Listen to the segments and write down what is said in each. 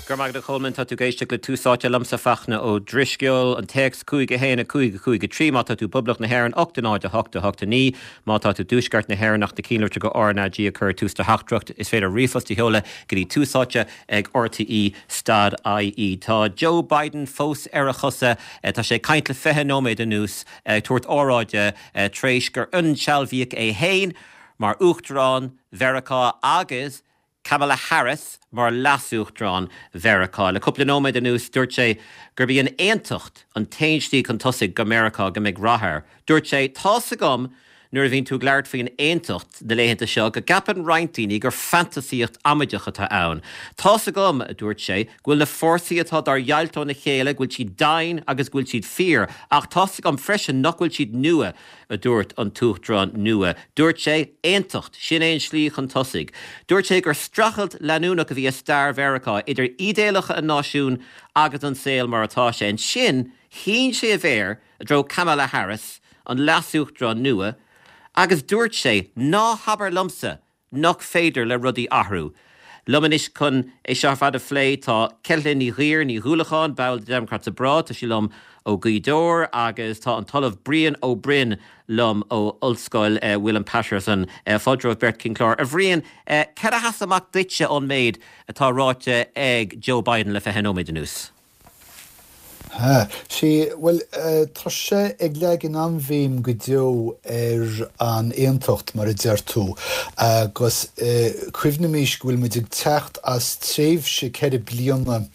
Go raibh maith agat a Cholmáin, tá tú ag éisteacht le Tús Áite liomsa Fachtna Ó Drisceoil, an téacs 5 1 5 5 3 má tá tú i bPoblacht na hÉireann, 8 0 8 8 9 má tá tú i dTuaisceart na hÉireann ach na cinnlitreacha RnaG a chur ag tús do theachtaireacht. Is féidir ríomhphost a sheoladh go dtí túsáite ag rte stad ie. Tá Joe Biden fós ar a chosa, tá sé ag caint le 20 nóiméad anuas, ag tabhairt óráide tar éis gur insealbhaíodh é féin mar Uachtarán Mheiriceá agus Kamala Harris mar Leas-Uachtarán Mheiriceá. Le cúpla nóiméad anuas, dúirt sé gurb í an aontacht an t-aon slí chun tosaigh do Mheiriceá go mbeidh rath air. Dúirt sé, Tá's agam nuair a bhíonn tú ag labhairt faoin aontacht na laethanta seo go gceapann roinnt daoine gur fantasaíocht amaideach atá ann. Tá's agam, a dúirt sé, go bhfuil na fórsaí atá dár ndeighilt óna chéile, go bhfuil siad domhain agus go bhfuil siad fíor, ach tá's agam freisin nach bhfuil siad nua. a dúirt an tUachtarán nua. Dúirt sé, Aontacht, sin é an slí chun tosaigh. Dúirt sé gur streachailt leanúnach a bhí i stair Mheiriceá idir ídéalacha an náisiúin agus an saol mar atá sé. Ansin, shín sé a mhéar i dtreo Kamala Harris, an leas-uachtarán nua, agus dúirt sé, Ná habair liomsa nach féidir le rudaí athrú. Liom anois chun é seo ar fad a phlé tá Ceithlinn Ní Ghuidhir Ní Dhúlacháin, ball de Democrats Abroad, tá sí liom ó Ghaoth Dobhair agus tá an tOllamh Brian Ó Broin liom ó Ollscoil William Paterson. Fáilte romhaibh beirt chuig an chlár. A Bhriain, cad a sheas amach duitse ón méid atá ráite ag Joe Biden le 20 nóiméad anuas? Ha, sea, bhuel, tá sé ag leagan an-bhéim go deo ar an aontacht, mar a deir tú, agus cuimhnímis go bhfuil muid ag teacht as tréimhse 4 bliana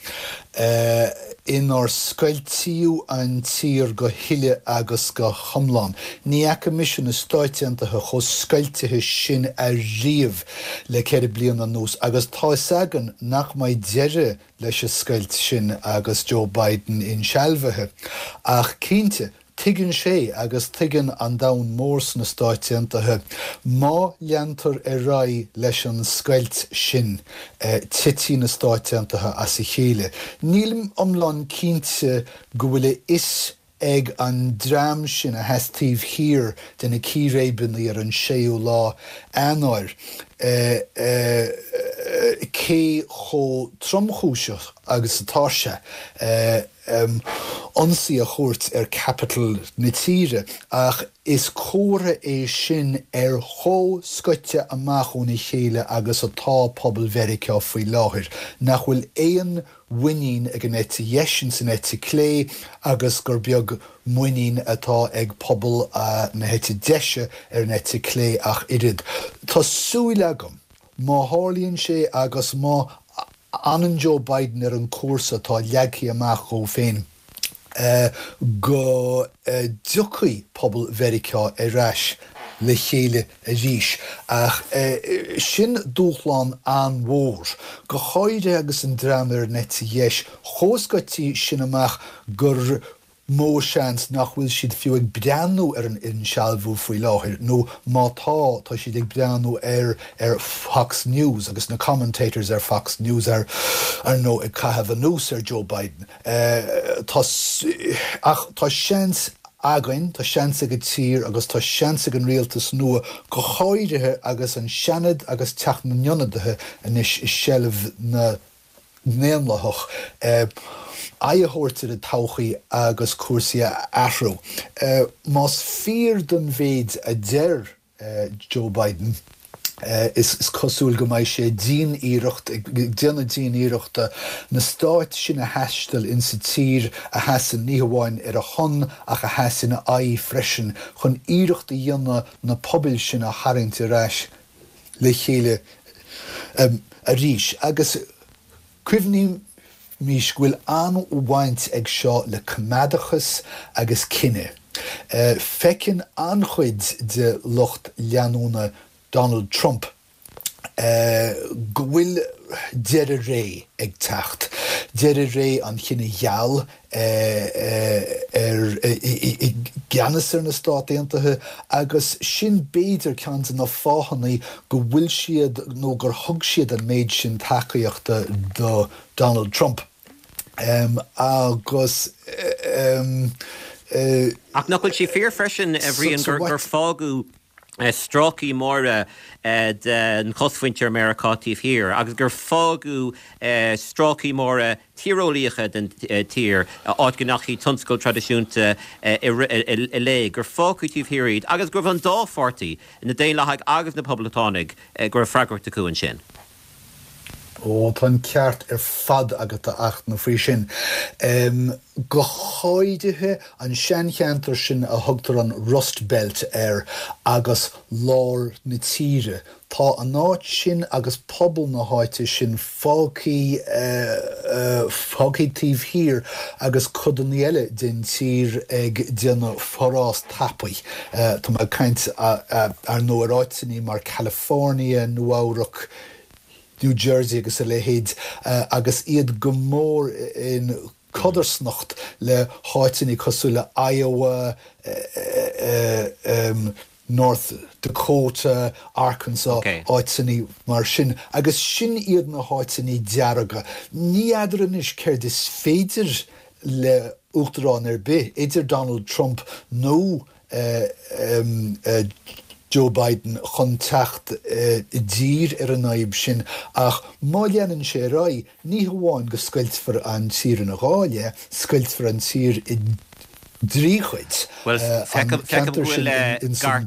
inar scoiltíodh an tír go huile agus go hiomlán. Ní fhaca mise na Stáit Aontaithe chomh scoiltithe sin ariamh le 4 bliana anuas, agus tá 'fhios againn nach mbeidh deireadh leis an scoilt sin agus Joe Biden insealbhaithe. Ach cinnte, tuigeann sé, agus tuigeann an domhan mór sna Stáit Aontaithe, má leantar ar aghaidh leis an scoilt sin, titfidh na Stáit Aontaithe as a chéile. Nílim iomlán cinnte go bhfuil a fhios ag an dream sin a sheas taobh thiar de na círéibeanna ar an séú lá Eanáir cé chomh tromchúiseach agus atá sé ionsaí a thabhairt ar Capitol na tíre ach is comhartha é sin ar chomh scoite amach óna chéile agus atá pobal Mheiriceá faoi láthair, nach bhfuil aon mhuinín ag an eite dheis ins an eite clé agus gur beag muinín atá ag pobal na heite deise ar an eite clé ach oiread. Tá súil agam, má tharlaíonn sé agus má fhanann Joe Biden ar an cúrsa atá leagtha amach dhó féin, go dtiocfaidh pobal Mheiriceá ar ais le chéile arís. Ach sin dúshlán an-mhór, go háirithe agus an dream ar an eite dheis chomh scoite sin amach gur mó seans nach bhfuil siad fiú ag breathnú ar an insealbhú faoi láthair, nó má tá, tá siad ag breathnú air ar Fox News agus na commentators ar Fox News ar ndóigh ag caitheamh anuas ar Joe Biden. Tá, ach tá seans againn, tá seans ag an tír agus tá seans ag an rialtas nua, go háirithe agus an Seanad agus Teach na nIonadaithe anois i seilbh na nDaonlathach, aghaidh a thabhairt ar an todhchaí agus cúrsaí a athrú. Más fíor don mhéid a deir Joe Biden. Is cosúil go mbeidh sé dian-iarracht, ag déanamh dian-iarrachta, na stáit sin a thaisteal insa tír a sheasann ní hamháin ar a shon ach a sheas ina aghaidh freisin, chun iarracht a dhéanamh na pobail sin a tharraingt ar ais le chéile arís. Agus Cuimhnímis go bhfuil an-bhaint ag seo le coimeádachas agus cine. Feiceann an-chuid de lucht leanúna Donald Trump go bhfuil deireadh ré ag teacht, deireadh ré an chine gheal, ar i gceannas ar na Stát Aontaithe agus sin b'fhéidir ceann de na fáthanna go bhfuil siad nó gur thug siad an méid sin tacaíochta do Donald Trump agus. Ach nach bhfuil sé fíor freisin, a Bhriain, gur fágadh. Stráicí móra den chosmhuintir Meiriceá taobh thiar agus gur fágadh stráicí móra tíreolaíocha den tír, áit go ndeachaigh tionscal traidisiúnta i léig, gur fágadh taobh thiar iad agus go raibh an dá pháirtí, na Daonlathaigh agus na Poblachtánaigh, go raibh freagracht acu ansin. Ó, tá an ceart ar fad agat, a Fhachtna, faoi sin. Go háirithe an seancheantar sin a thugtar an Rust Belt air agus lár na tíre. Tá an áit sin agus pobal na háite sin fágthaí, fágthaí taobh thiar agus codanna eile den tír ag déanamh forás tapaidh. Tá mé ag caint, ar ndóigh, ar áiteanna mar California, Nua-Eabhrac, New Jersey agus a leithéid, agus iad go mór in codarsnacht le háiteanna cosúil le Iowa, North Dakota, Arkansas, áiteanna mar sin. Agus sin iad na háiteanna dearga. Ní fheadar anois céard is féidir le uachtarán ar bith, idir Donald Trump nó Joe Biden chun teacht i dtír ar an fhadhb sin ach má leanann sé ar aghaidh, ní hamháin go scoiltfear an tír ina dhá leath, scoiltfear an tír i dtrí chuid. Bhuel, feicim go bhfuil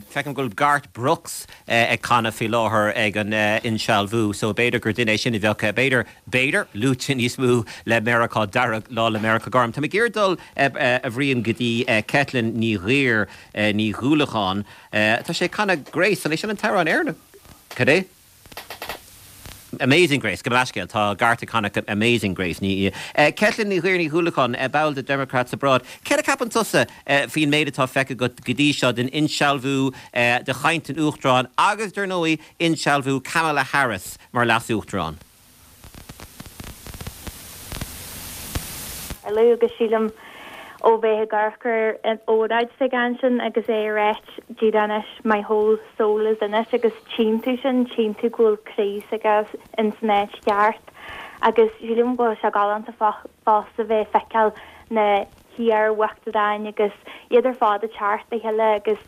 feicim go bhfuil Garth Brooks ag canadh faoi láthair ag an insealbhú so b'fhéidir gur duine é sin a bheadh, b'fhéidir, b'fhéidir, luaite níos mó le Meiriceá Dearg ná le Meiriceá Gorm. Tá mé ag iarraidh dul, a Bhriain, go dtí Caitlín Ní Ghuidhir, Ní Dhúlacháin. Tá sé ag canadh Grace, an é sin an t-amhrán Éireannach? Cad é? Amazing Grace, gabh mo leithscéal, tá Garth ag canadh Amazing Grace. Ní. Caitlín Ní Ghuidhir Ní Dhúlacháin, ball de Democrats Abroad. Céard a cheapann tusa faoin méid atá feicthe agat go dtí seo den insealbhú, de chaint an Uachtaráin agus, dar ndóigh, insealbhú Kamala Harris mar Leas-Uachtarán. Tarlú agus sílim ó bheith ag amharc ar an óráid s'aige ansin agus é ag ráit díreach anois my whole soul is in it agus tchíonn tú sin, tchíonn tú go bhfuil croí s'aige in san áit cheart agus sílim go bhfuil sé galánta fosta bheith ag feiceáil na hiar-uachtaráin agus iad ar fad ag teacht le chéile agus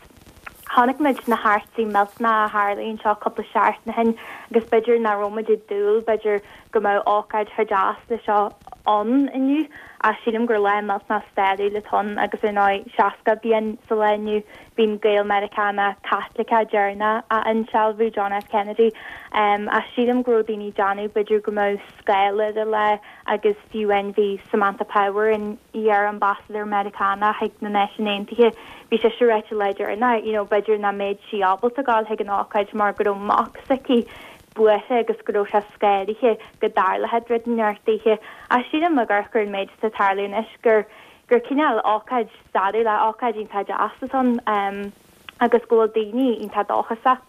chonaic muid na heachtraí millteanacha a tharlaigh anseo cúpla seachtain ó shin agus b'fhéidir nach raibh muid ag dúil b'fhéidir go mbeadh ócáid chomh deas le seo ann inniu ach sílim gur lá millteanach stairiúil atá ann agus ar ndóigh 60 bliain sa lá inniu bhí an Gael-Meiriceánach Caitliceach deireanach á insealbhú, John F Kennedy ach sílim go raibh daoine ag déanamh b'fhéidir go mbeadh scáil ar an lá agus fiú amháin bhí Samantha Power, an iar-ambasadóir Meiriceánach chuig na Náisiúin Aontaithe, bhí sise ag ráit an lá deireanach, you know, b'fhéidir nach mbeadh sí ábalta gabháil chuig an ócáid mar go raibh mac s'aici buartha agus go raibh sé scanraithe go dtarlódh rud inteacht daoithe. Ach sílim ag amharc ar an méid atá ag tarlú anois gur gur cineál ócáid stairiúil, ócáid iontach deas atá ann agus go bhfuil daoine iontach dóchasach.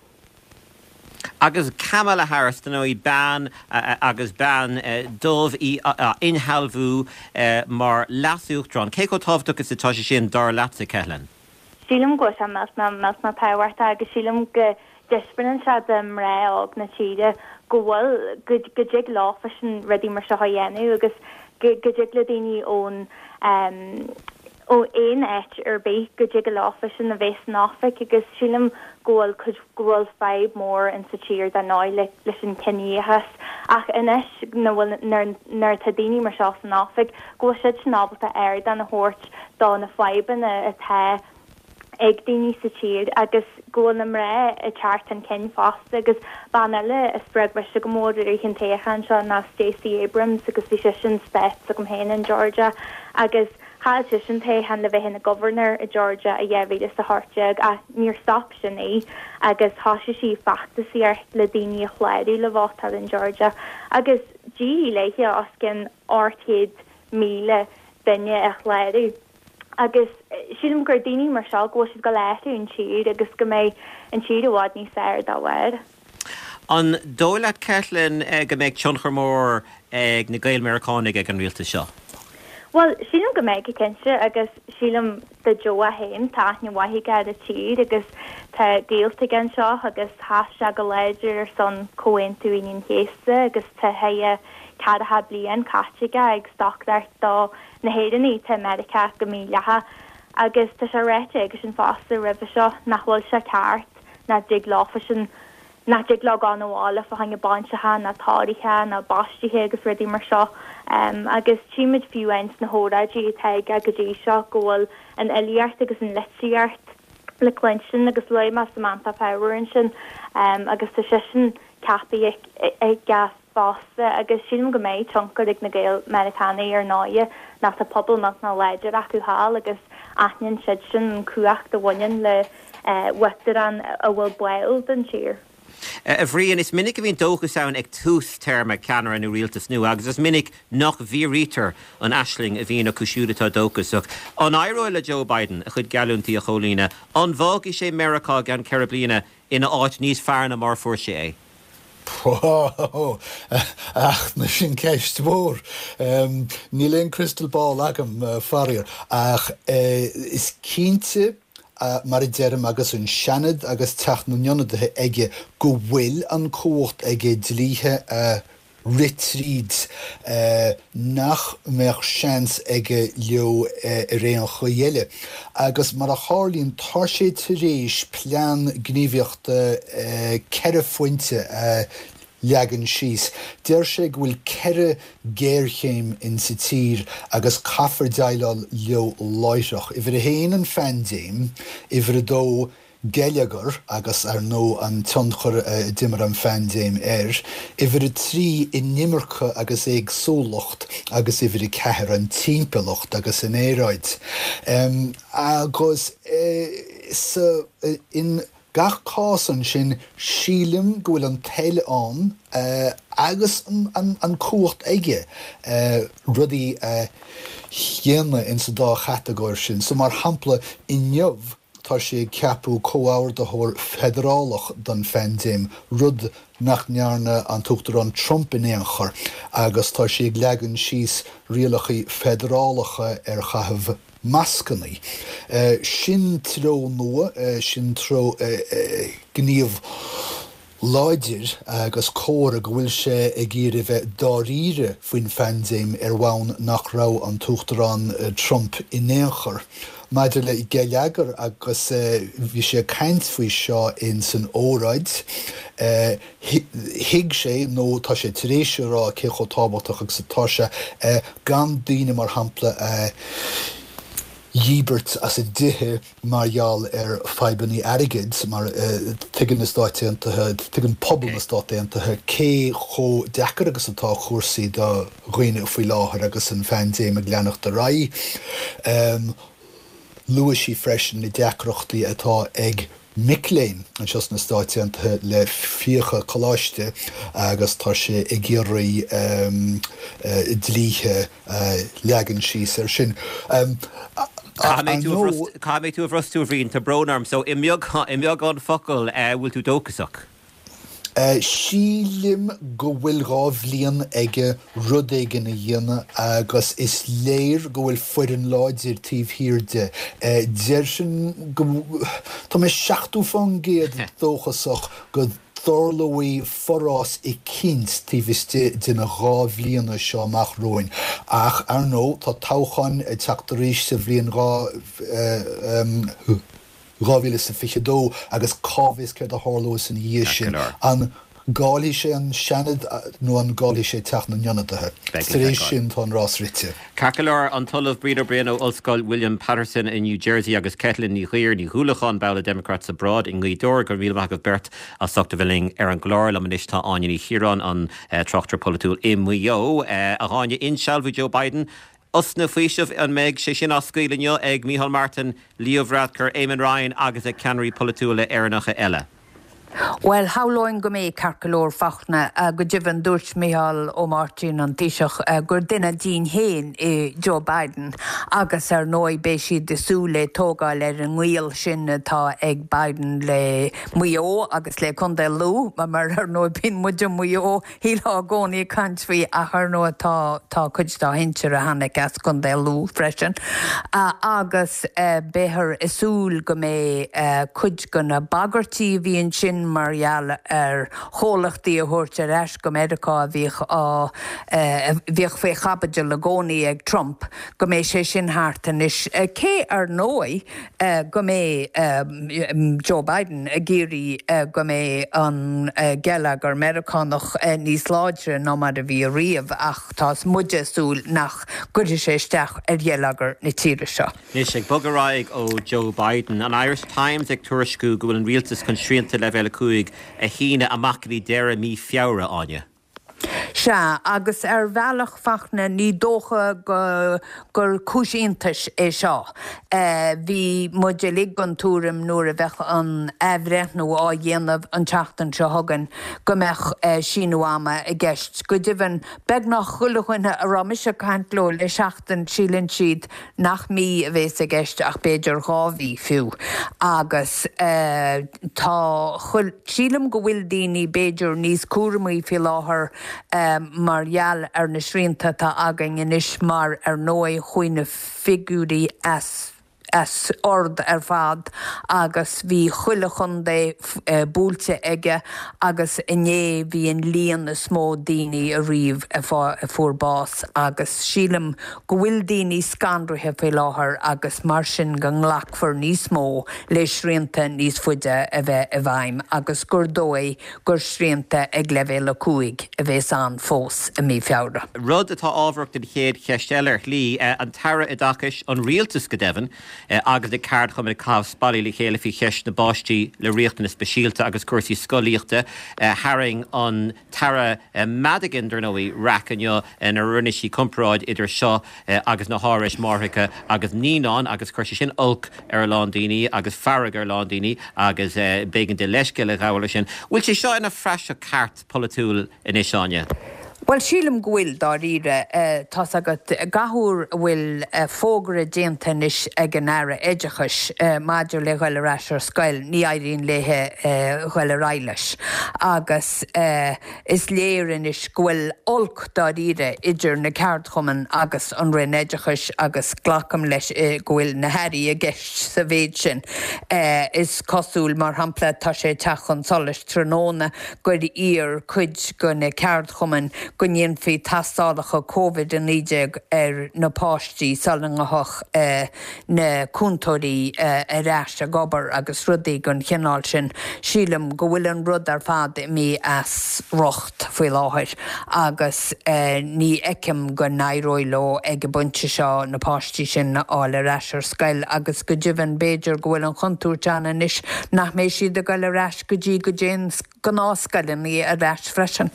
Agus Kamala Harris, dar ndóigh, bean agus bean dubh í á insealbhú mar leas-uachtarán. Cé chomh tábhachtach is atá sé sin, dar leatsa, Ceithleann? Sílim go bhfuil sé millteanach, millteanach tábhachtach agus sílim go dtaispeánann sé do mná óg na tíre go bhfuil, go dtig leofasan rudaí mar seo a dhéanamh agus go dtig le daoine ón, ó aon áit ar bith go dtig leofasan a bheith san oifig agus sílim go bhfuil cuid, go bhfuil fadhb mór in sa tír dar ndóigh le, leis an cinedhíothas ach anois na bhfuil, nuair, nuair atá daoine mar seo san oifig go bhfuil siad sin ábalta ardán a thabhairt do na fadhbanna atá ag daoine sa tír agus go bhfuil na mná ag teacht chun cinn fosta agus bean eile a spreag mise go mór i rith an toghcháin seo ná Stacey Abrams agus bhí sise in state s'agam féin in Georgia agus chaill sise an toghchán le bheith ina governor i Georgia i 2018 ach níor stop sin í agus thosaigh sí feachtasaíocht le daoine a chlárú le vótáil in Georgia agus d'éirigh léi os cionn 800,000 duine a chlárú. Agus sílim gur daoine mar seo, go bhfuil siad ag dul a athrú an tír agus go mbeidh an tír i bhfad níos fearr dá bharr. An dóigh leat, Caitlin, go mbeidh tionchar mór ag na Gael-Meiriceánaigh ag an rialtas seo? Bhuel, sílim go mbeidh, cinnte, agus sílim do Joe é féin, tá aithne mhaith aige ar an tír agus tá gaolta aige anseo agus sheas sé go láidir ar son Comhaontú Aoine an Chéasta agus tá a cheathracha bliain caite aige ag stocaireacht do na hÉireannaigh atá i Meiriceá go mídhleathach agus tá sé ráite aigesean fosta roimhe seo nach bhfuil sé ceart. nach dtig leofasan, nach dtig leo gabháil 'na bhaile fá choinne bainseacha ná tórraithe ná baistithe agus rudaí mar seo. Agus tchímid fiú amháin sna hóráidí atá aige go dtí seo go bhfuil an fhilíocht agus an litríocht le cluinstin agus luaigh mé Samantha Power ansin agus tá seisean ceaptha aige fosta agus sílim go mbeidh tionchar ag na Gael-Mheiriceánaigh ar ndóighe nó tá pobal millteanach láidir acu thall agus aithníonn siadsan an cumhacht a bhaineann le huachtarán a bhfuil báúil don tír. A Bhriain, is minic a bhíonn dóchas ann ag tús téarma ceannaire nó rialtas nua agus is minic nach bhfíoraítear an aisling a bhíonn acu siúd atá dóchasach. An éireoidh le Joe Biden a chuid geallúintí a chomhlíonadh? An bhfágfaidh sé Meiriceá i gceann 4 bliana ina áit níos fearr ná mar a fuair sé é? Ó, ach sin ceist mhór. Níl aon crystal ball agam, faraor, ach is cinnte, mar a deirim, agus an Seanad agus Teach na nIonadaithe aige, go bhfuil an cumhacht aige dlíthe a rith tríd nach mbeadh seans aige leo ar aon chaoi eile. Agus mar a tharlaíonn, tá sé tar éis plean gníomhaíochta 4 phointe a leagan síos. Deir sé go bhfuil 4 géarchéim in sa tír agus caithfear déileáil leo láithreach. Uimhir a haon, an phaindéim. Uimhir a dó, geilleagar agus, ar ndóigh, an tionchar a d'imir an phaindéim air. Uimhir a 3, inimirce agus éagsúlacht agus uimhir a 4, an timpeallacht agus an aeráid. Agus sa, in gach cás ansin, sílim go bhfuil an toil ann agus an cumhacht aige rudaí a dhéanamh insa dá chatagóir sin. So, mar shampla, inniu, Tá sé ag ceapadh comhordaitheoir feidearálach don phaindéim, rud nach ndearna an tUachtarán Trump in aon chor, agus tá sé ag leagan síos rialacha feidearálacha ar chaitheamh mascanna. Sin treo nua, sin treo gníomh láidir agus comhartha go bhfuil sé ag iarraidh bheith dáiríre faoin phaindéim ar bhonn nach raibh an tUachtarán Trump in aon chor. Maidir le geilleagar agus bhí sé ag caint faoi seo in san óráid, thuig sé nó tá sé tar éis a rá cé chomh tábhachtach agus atá sé gan daoine mar shampla a dhíbirt as a dtithe mar gheall ar fadhbanna airgid, mar tuigeann na Stáit Aontaithe, tuigeann pobal na Stát Aontaithe cé chomh deacair agus atá cúrsaí do dhaoine faoi láthair agus an phaindéim ag leanacht ar aghaidh. Luaigh sí freisin na deacrachtaí atá ag mic léinn anseo sna Stáit Aontaithe le fiacha coláiste agus tá sé ag iarraidh dlíthe a leagan síos air sin. Caithfidh mé tú a bhrostú, a Bhriain, tá brón orm. So, i mbeagán focal, bhfuil tú dóchasach? Sílim go bhfuil 2 bhliain aige rud éigin a dhéanamh agus is léir go bhfuil foireann láidir taobh thiar de. Déarfainn go, tá mé 70% dóchasach go dtarlóidh forás eicínt taobh istigh de na 2 bhliana seo amach romhainn. Ach, ar ndóigh, tá toghchán ag teacht arís sa bhliain 2022 agus cá bhfios céard a tharlós ina dhiaidh sin. An gcaillfidh sé an Seanad nó an gcaillfidh sé Teach na nIonadaithe? Tar éis sin tá an rás rite. Ceart go leor, an tOllamh Brian Ó Broin ó Ollscoil William Paterson i New Jersey agus Caitlín Ní Ghuidhir, Ní Dhúlacháin, ball de Democrats Abroad i nGaoth Dobhair. Go raibh míle maith agaibh beirt as ucht a bheith linn ar an gclár. Liom anois tá Áine Ní Chiaráin, an tráchtaire polaitiúil i Maigh Eo. A Áine, insealbhú Joe Biden, osna faoisimh, an mbeidh sé sin á scaoileadh inniu ag Micheál Martin, Leo Varadkar, Eamon Ryan agus ag ceannairí polaitiúla Éireannacha eile? Bhuel, shamhlóinn go mbeidh, ceart go leor, Fachtna. Go deimhin, dúirt Micheál Ó Máirtín, an Taoiseach, gur duine dínn féin é Joe Biden agus, ar ndóigh, beidh siad ag súil le tógáil ar an ngaol sin atá ag Biden le Maigh Eo agus le Contae Lú, mar, ar ndóigh, bíonn muid i Maigh Eo shílfeá i gcónaí ag caint faoi ach ar ndóigh tá tá cuid dá shinsir a tháinig as Contae Lú freisin agus beifear ag súil go mbeidh cuid de na bagairtí a bhí ansin. sin mar gheall ar chomhlachtaí a thabhairt ar ais go Meiriceá a bhíodh á bhíodh faoi chaibidil i gcónaí ag Trump, go mbeidh sé sin thart anois. Cé ar ndóigh go mbeidh Joe Biden ag iarraidh go mbeidh an geilleagar Meiriceánach níos láidre ná mar a bhí ariamh ach tá muide ag súil nach gcuirfidh sé isteach ar gheilleagar na tíre seo. Anois, ag bogadh ar aghaidh ó Joe Biden, an Irish Times ag tuairisciú go bhfuil an rialtas chun srianta Leibhéal 5 a shíneadh amach go dtí deireadh mí Feabhra, Áine. Sea, agus ar bhealach, Fachtna, ní dócha go gur cúis iontais é seo. Bhí muid uilig den tuairim nuair a bheadh an athbhreithniú á dhéanamh an tseachtain seo chugainn go mbeadh síniú ama i gceist. Go deimhin, beagnach chuile dhuine a raibh mise ag caint leo le seachtain, síleann siad nach mí a bhéas i gceist ach b'fhéidir 2 mhí fiú agus tá, sílim go bhfuil daoine b'fhéidir níos cúramaí faoi láthair mar gheall ar na srianta atá againn anois mar ar ndóigh chuaigh na figiúirí as as ord ar fad agus bhí chuile chontae buailte aige agus inné bhí an líon is mó daoine ariamh a fuair bás agus sílim go bhfuil daoine scanraithe faoi láthair agus mar sin go nglacfar níos mó le srianta níos faide a bheith i bhfeidhm agus gur dóigh gur srianta ag leibhéal 5 a bhéas ann fós i mí Feabhra. Rud atá ábharach don chéad cheist eile ar shlí, an tAire Oideachais, an Rialtas go deimhin, agus na ceardchumainn ag caitheamh spallaí le chéile faoi cheist na bpáistí le riachtanais speisialta agus cúrsaí scolaíochta. Tharraing an tAire Madigan, dar ndóigh, raic inniu nuair a rinne sí comparáid idir seo agus na hárais máithreacha agus naíonáin agus chuir sé sin olc ar a lán daoine agus fearg ar a lán daoine agus b'éigean di leithscéal a ghabháil as sin. Bhfuil sé seo ina phraiseach ceart polaitiúil anois, Áine? Bhuel, sílim go bhfuil, dáiríre. Tá's agat, gach uair a bhfuil fógra déanta anois ag an Aire Oideachais maidir le dhul ar ais ar scoil, ní éiríonn léithe dhul ar aghaidh leis. Agus is léir anois go bhfuil olc dáiríre idir na ceardchumainn agus an Roinn Oideachais agus glacaim leis go bhfuil na hAirí i gceist sa mhéid sin. Is cosúil, mar shampla, tá sé ag teacht chun solais tráthnóna gur iarr cuid de na ceardchumainn go ndéanfaí tastálacha Covid-19 ar na páistí sula ngabhfadh na cúntóirí ar ais ag obair agus rudaí den chineál sin. Sílim go bhfuil an rud ar fad imithe as riocht faoi láthair agus ní fheicim go n-éireoidh leo ag an bpointe seo na páistí sin a fháil ar ais ar scoil agus go deimhin b'fhéidir go bhfuil an chontúirt ann anois nach mbeidh siad ag dul ar ais go dtí go dtéann gnáthscoileanna ar ais freisin.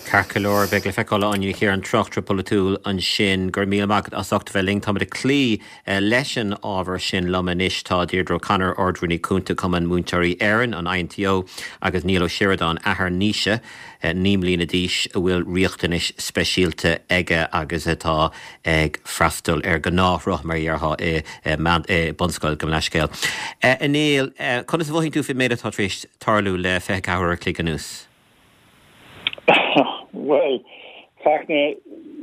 Ceart go leor, beidh le feiceáil a Áine Ní Chiaráin, tráchtaire polaitiúil ansin. Go raibh míle maith agat as ucht a bheith linn. Táimid ag cloí leis an ábhar sin liom anois. Tá Deirdre O'Connor, Ard-Rúnaí Cúnta Cumann Múinteoirí Éireann, an INTO, agus Niall Ó Seireadáin, athair Naoise, 9 mbliana d'aois, a bhfuil riachtanais speisialta aige agus atá ag freastal ar ghnáthshruth, mar a dhéarfá, i mbunscoil, gabh mo leithscéal. A Néill, conas a mhothaíonn tú faoin méid atá tar éis tarlú le 24 uair a chloig anuas? Bhuel, Fachtna,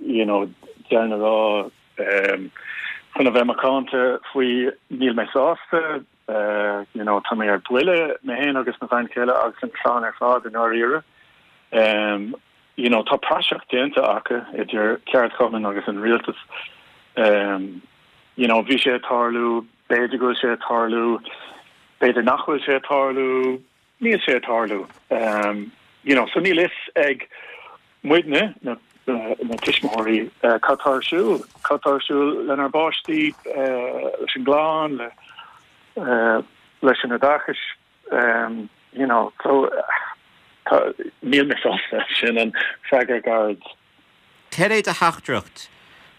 you know, deireadh na rá, chun a bheith macánta faoi, níl mé sásta, you know, tá mé ar buile, mé féin agus mo bhean chéile agus an chlann ar fad i ndáiríre. You know, tá praiseach déanta acu idir ceardchumainn agus an rialtas. You know, bhí sé ag tarlú, b'fhéidir go bhfuil sé ag tarlú, b'fhéidir nach bhfuil sé ag tarlú, níl sé ag tarlú. You know, so níl fhios ag muidne, na na tuismitheoirí, cad tá ar siúl, cad tá ar siúl lenár bpáistí, leis an gclann, le leis an oideachas. You know, so tá, níl mé sásta, sin an freagra gairid. Cad é do theachtaireacht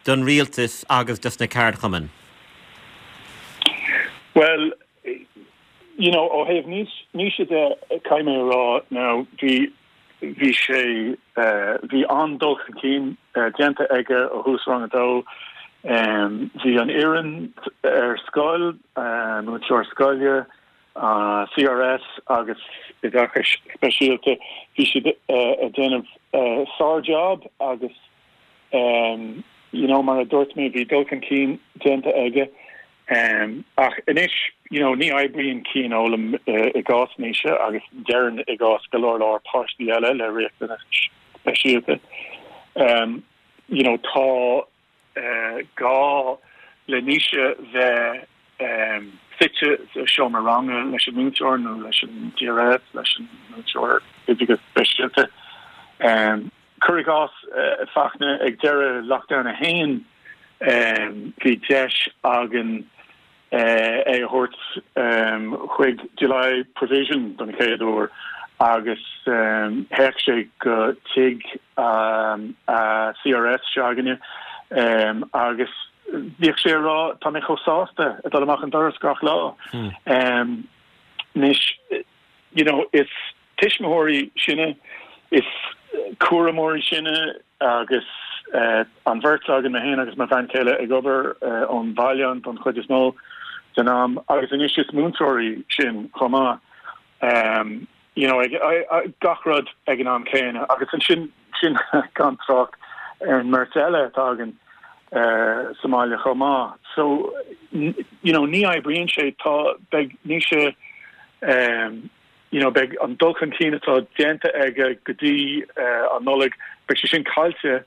don rialtas agus dos na ceardchumainn? Bhuel, you know, ó thaobh Naoise de, caithfidh mé a rá now, bhí, bhí sé, bhí an-dul chun cinn déanta aige ó thús rang a dó. Bhí an fhoireann ar scoil, múinteoir scoile, CRS agus oideachais speisialta, bhí siad ag déanamh sár-job agus you know mar a dúirt mé bhí dul chun cinn déanta aige. Ach anois. you know, ní oibríonn cianfhoghlaim i gcás Naoise agus déarfainn i gcás go leor leor páistí eile le riachtanais speisialta. You know, tá gá le Naoise bheith suite sa seomra ranga leis an múinteoir nó leis an DRS, leis an múinteoir oideachais speisialta. Cuir i gcás, Fachtna, ag deireadh Lockdown 1, bhí deis againn é a thabhairt chuig July Provision don chéad uair agus théadh sé go tigh a CRS s'againne agus bhíodh sé ag rá tá mé chomh sásta ag dul amach an doras gach lá. Anois, you know, is tuismitheoirí sinne, is cúramóirí sinne agus an bheirt againn, mé féin agus mo bhean chéile, ag obair ón bhaile an don chuid is mó den am agus anois is múinteoirí sinn chomh maith. You know, gach rud ag an am céanna agus ansin sin gan trácht ar an mbeirt eile atá againn sa mbaile chomh maith. So, you know, ní oibríonn sé, tá, beidh Naoise you know, beidh an dul chun cinn atá déanta aige go dtí an Nollaig, beidh sé sin caillte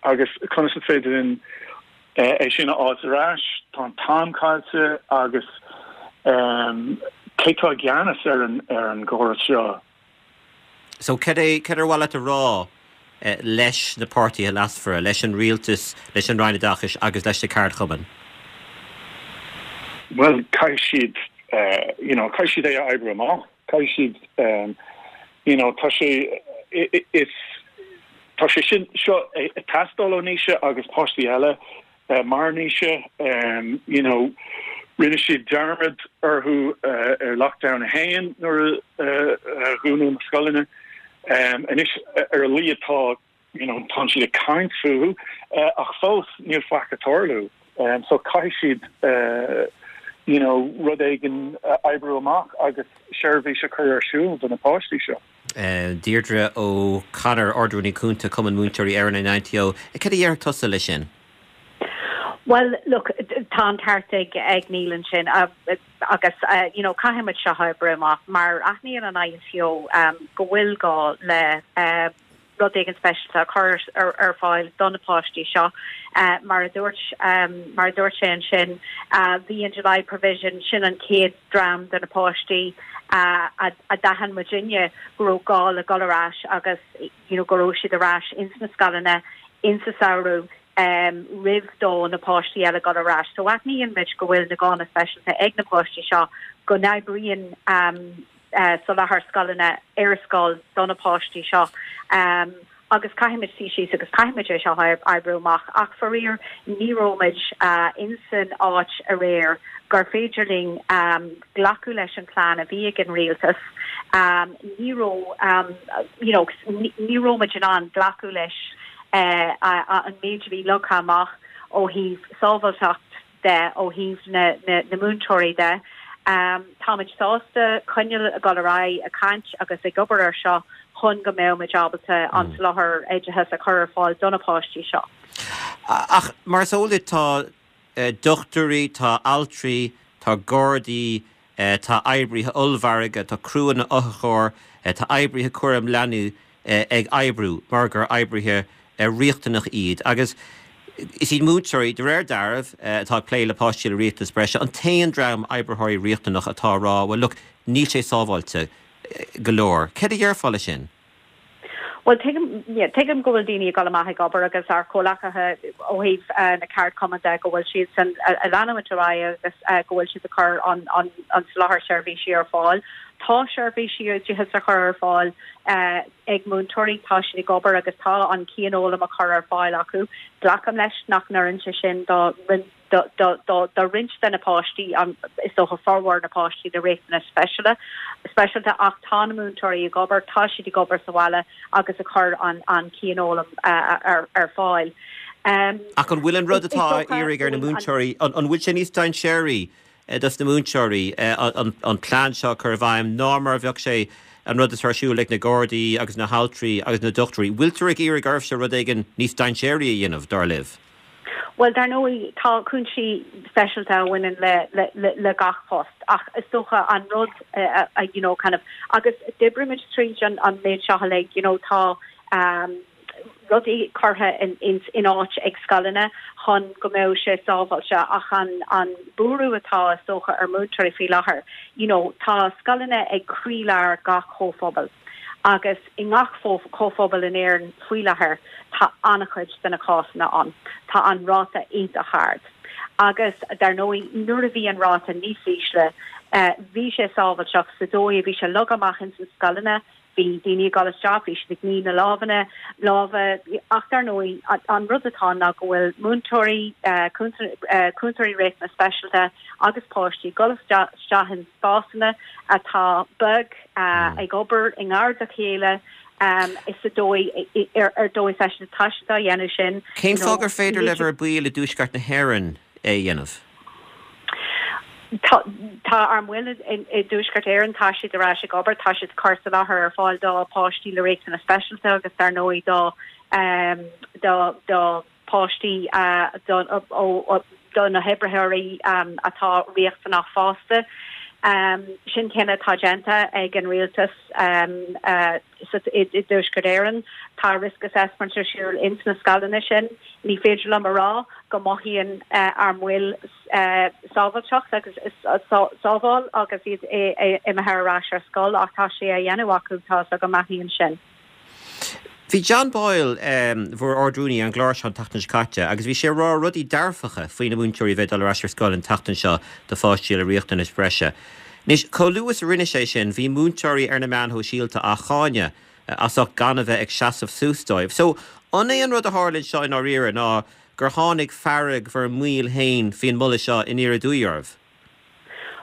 agus conas is féidir linn é sin a fháilt ar ais? Tá an t-am caillte agus cé tá i gceannas ar an ar an gcóras seo? So cad é, cad ar mhaith leat a rá leis na páirtithe leasmhara, leis an rialtas, leis an Roinn Oideachais agus leis na ceardchumainn? Bhuel, caithfidh siad, you know, caithfidh siad é a oibriú amach. Caithfidh siad, you know, tá sé, is, tá sé sin, seo ag teastáil ó Naoise agus páistí eile mar Naoise, you know, rinne siad dearmad orthu ar Lockdown 1 nuair a dhúnadh na scoileanna. Anois ar a laghad tá, you know, tá siad ag caint fúthu ach fós níl faic ag tarlú. So caithfidh siad, you know, rud éigin a oibriú amach agus seirbhís a chur ar siúl do na páistí seo. Deirdre O'Connor, Ard-Rúnaí Cúnta, Cumann Múinteoirí Éireann, an INTO. Cad a déarfadh tusa leis sin? Bhuel, look, tá an ceart ag ag Neil ansin agus you know, caithfidh muid seo a oibriú amach mar aithníonn an INTO go bhfuil gá le rud éigin speisialta a chur ar fáil do na páistí seo. Mar a dúirt mar a dúirt sé ansin, bhí an July Provision, sin an chéad dream de na páistí a d'aithin muidinne go raibh gá le dul ar ais agus you know go raibh siad ar ais ins na scoileanna insa samhradh roimh do na páistí eile dul ar ais. So aithníonn muid go bhfuil na gánna speisialta ag na páistí seo, go n-oibríonn soláthar scoileanna ar scoil do na páistí seo agus caithfimid suí síos agus caithfimid é seo a oibriú amach. Ach faraor ní raibh muid insan áit aréir gur féidir linn glacadh leis an plean a bhí ag an rialtas. Ní raibh you know ní raibh muid in ann glacadh leis an méid a bhí leagtha amach ó thaobh sábháilteacht de, ó thaobh na múinteoirí de. Táimid sásta coinneáil ag dul ar aghaidh ag caint agus ag obair ar seo chun go mbeidh muid ábalta an soláthar oideachais a chur ar fáil do na páistí seo. Ach mar is eol duit tá dochtúirí, tá altraí, tá gardaí, tá oibrithe ollmhargaidh, tá criúnna otharchairr, tá oibrithe cúraim leanaí ag oibriú mar gur oibrithe riachtanach iad agus is iad múinteoirí, de réir dealraimh, atá ag plé le páistí le riachtanas breise, an t-aon dream oibritheoirí riachtanach atá ag rá, well look, níl sé sábháilte go leor. Céard a dhéarfá leis sin? Bhuel, tuigim, yeah, tuigim go bhfuil daoine ag dul amach ag obair agus ár comhleacaithe ó thaobh na ceardchumann de go bhfuil siadsan ag leanúint ar aghaidh agus go bhfuil siad ag cur an, an, an soláthar seirbhísí ar fáil. Tá seirbhísí oideachais á chur ar fáil ag múinteoirí, tá siad ag obair agus tá an cianfhoghlaim á chur ar fáil acu. Glacaim leis nach n-oireann sé sin do roinnt do roinnt de na páistí, is dócha formhór na páistí le riachtanais speisialta, ach tá na múinteoirí ag obair, tá siad ag obair sa bhaile agus ag cur an cianfhoghlaim ar fáil. Ach an bhfuil an rud atá á iarraidh ar na múinteoirí, an bhfuil sé níos dainséaraí dos na múinteoirí an plean seo a chur i bhfeidhm ná mar a bheadh sé an rud atá ar siúl ag na Gardaí agus na haltraí agus na dochtúirí? Bhfuiltear ag iarraidh oraibhse rud éigin níos dainséaraí a dhéanamh, dar libh? Bhuel, dar ndóigh, tá cúinsí speisialta a bhaineann le le gach post ach is dócha an rud you know kind of agus d'oibrigh muid tríd an an méid seo uilig, you know, tá rudaí curtha in in áit ag scoileanna chun go mbeadh sé sábháilte ach an an buaireamh atá is dócha ar múinteoirí faoi láthair, you know, tá scoileanna ag croílár gach comhphobal agus i ngach comhphobal in Éirinn faoi láthair tá an-chuid de na cásanna ann. Tá an ráta iontach ard. Agus dar ndóigh nuair a bhí an ráta níos ísle bhí sé sábháilteach sa dóigh a bhí sé leagtha amach ins na scoileanna, bhí daoine ag dul isteach, bhí siad ag ní na lámhanna, lámha, ach dar ndóigh an rud atá ann ná go bhfuil múinteoirí, cúntóirí riachtanas speisialta agus páistí ag dul isteach in spásanna atá beag, ag obair i ngar dá chéile is sa dóigh ar dóigh speisialta tá siad á dhéanamh sin. Cén fáth gur féidir le bhur baill i dTuaisceart na hÉireann é a dhéanamh? Tá ár mbaill i dTuaisceart Éireann, tá siad ar ais ag obair, tá siad ag cur soláthar ar fáil do pháistí le riachtanais speisialta agus dar ndóigh do do páistí do na hoibritheoirí atá riachtanach fosta. Sin cinneadh atá déanta ag an rialtas i dTuaisceart Éireann. Tá risk assessment ar siúl ins na scoileanna sin. Ní féidir liom a rá go mothaíonn ár mbaill sábháilteacht agus sábháil agus iad imithe ar ais ar scoil ach tá sé á dhéanamh acu, tá a fhios agam, aithním sin. Bhí John Boyle, bhur Ard-Rúnaí, ar an gclár seo an tseachtain seo caite agus bhí sé ag rá rudaí dearfacha faoi na múinteoirí a bheith ag dul ar ais ar scoil an tseachtain seo do pháistí le riachtanais bhreise. Anois, chomh luath is a rinne sé sin, bhí múinteoirí ar na meáin shóisialta á cháineadh as ucht gan a bheith ag seasamh suas dóibh. So, an é an rud a tharla anseo i ndáiríre ná gur tháinig fearg bhur mbaill féin faoin moladh seo aniar aduaidh oraibh?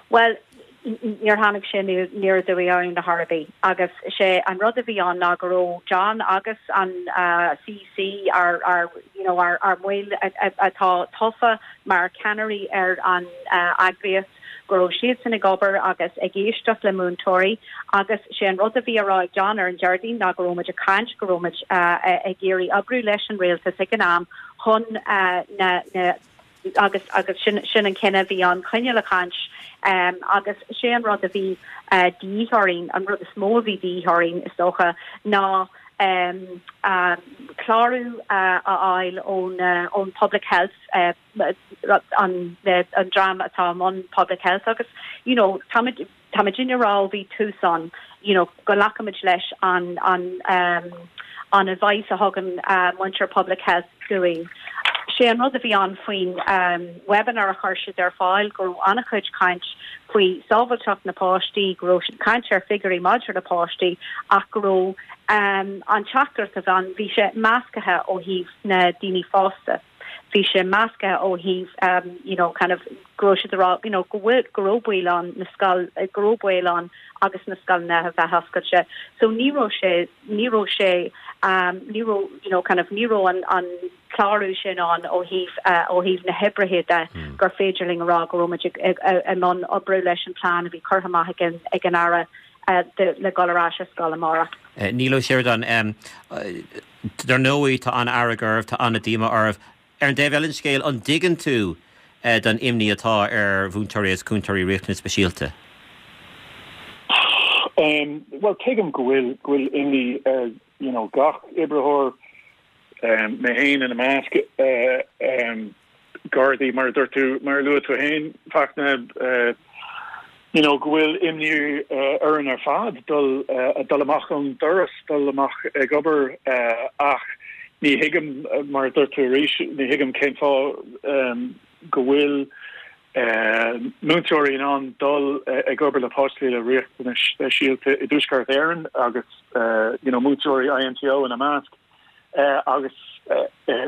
Bhuel, níor tháinig sé aniar aduaidh orainn ar chor ar bith agus sé an rud a bhí ann ná go raibh John agus an CEC, ár, ár, you know, ár, ár mbaill atá tofa mar cheannairí ar an eagraíocht, go raibh siadsan ag obair agus ag éisteacht le múinteoirí agus sé an rud a bhí á rá ag John ar an Déardaoin ná go raibh muid ag caint, go raibh muid ag iarraidh oibriú leis an rialtas ag an am chun na, na, agus agus sin sin an cinneadh a bhí ann, coinneáil ag caint agus sé an rud a bhí de dhíth orainn, an rud is mó a bhí de dhíth orainn is dócha ná clárú a fháil ón ón Public Health an an dream atá i mbun Public Health agus you know táimid Tá muidinne ag rá ó bhí tús ann you know go nglacaimid leis an an an advice a thugann muintir Public Health dúinn. Sé an rud a bhí ann faoin webinar a chuir siad ar fáil go raibh an-chuid caint faoi sábháilteacht na páistí, go raibh siad caint ar figiúirí maidir le páistí ach go raibh an teachtaireacht a bhí ann, bhí sé meascaithe ó thaobh na daoine fásta. Bhí sé meascaithe ó thaobh you know kind of go raibh siad ag rá you know go bhfuil go raibh baol ann na scoil go raibh baol ann agus na scoileanna a bheith oscailte. So ní raibh sé ní raibh sé ní raibh you know kind of ní raibh an an clárú sin ann ó thaobh ó thaobh na hoibrithe de gur féidir linn a rá go raibh muid ag i mbun oibriú leis an plean a bhí curtha amach ag an ag an Aire le dul ar ais ar scoil amárach. Neil Ó Seireadáin, Dar ndóigh, tá an-fhearg oraibh, tá an-díomá oraibh. Ar an dtaobh eile den scéal, an dtuigeann tú don imní atá ar mhúinteoirí agus cúntóirí riachtanas speisialta? Bhuel, tuigim go bhfuil, go bhfuil imní ar, you know, gach oibritheoir, mé féin ina measc. Gardaí, mar a dúirt tú, mar a luaigh tú féin, Fachtna, you know, go bhfuil imní orainn ar fad dul, dul amach ón doras, dul amach ag obair ach ní thuigim, mar a dúirt tú arís, ní thuigim cén fáth go bhfuil múinteoirí in ann dul ag obair le páistí le riachtanais speisialta i dTuaisceart Éireann agus, you know, múinteoirí INTO ina measc. agus